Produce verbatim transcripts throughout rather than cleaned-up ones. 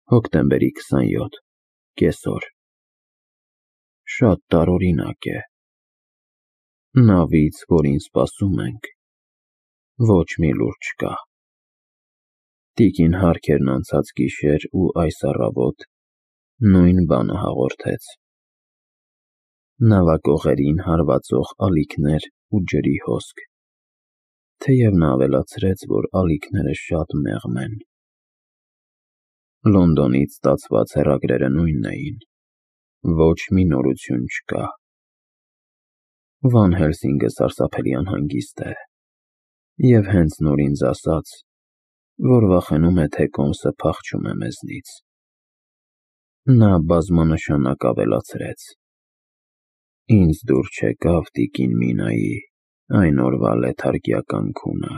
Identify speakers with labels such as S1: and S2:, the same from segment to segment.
S1: Հոկտեմբերի քսանյոթ, կեսօր։ Շատ տարօրինակ է։ Նավից, որին սպասում ենք, ոչ մի լուր չկա։ Տիկին Հարքերն անցած գիշեր ու այս առավոտ նույն բանը հաղորդեց։ Նավակողերին հարվածող ալիքներ ու ջրի հոսք, թեև նա ավելացրեց, որ ալիքները շատ մեղմ են։ Լոնդոնից ստացված հեռագրերը նույնն էին, ոչ մի նորություն չկա։ Վան Հելսինգը սարսափելի անհանգիստ է, և հենց նոր ինձ ասաց, որ վախենում է, թե Կոմսը փախչում է մեզնից։ Նա բազմանշանակ ավելացրեց. «Ինձ դուր չեկավ տիկին Մինայի այն օրվա լեթարգիական քունը։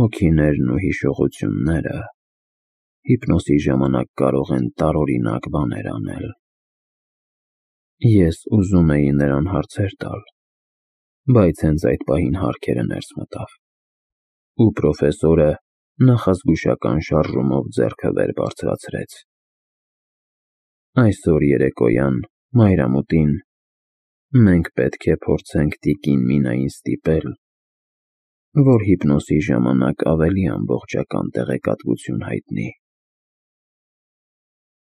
S1: Հոգիներն ու հիշողությունները հիպնոսի ժամանակ կարող են տարօրինակ բաներ անել»։ Ես ուզում էի նրան հարցեր տալ, բայց հենց այդ պահին Հարքերը ներս մտավ, ու պրոֆեսորը նախազգուշական շարժումով ձեռքը վեր բարձրացրեց։ «Այսօր երեկոյան, մայրամուտին, մենք պետք է փորձենք տիկին Մինային ստիպել, որ հիպնոսի ժամանակ ավելի ամբողջական տեղեկատվություն հայտնի»։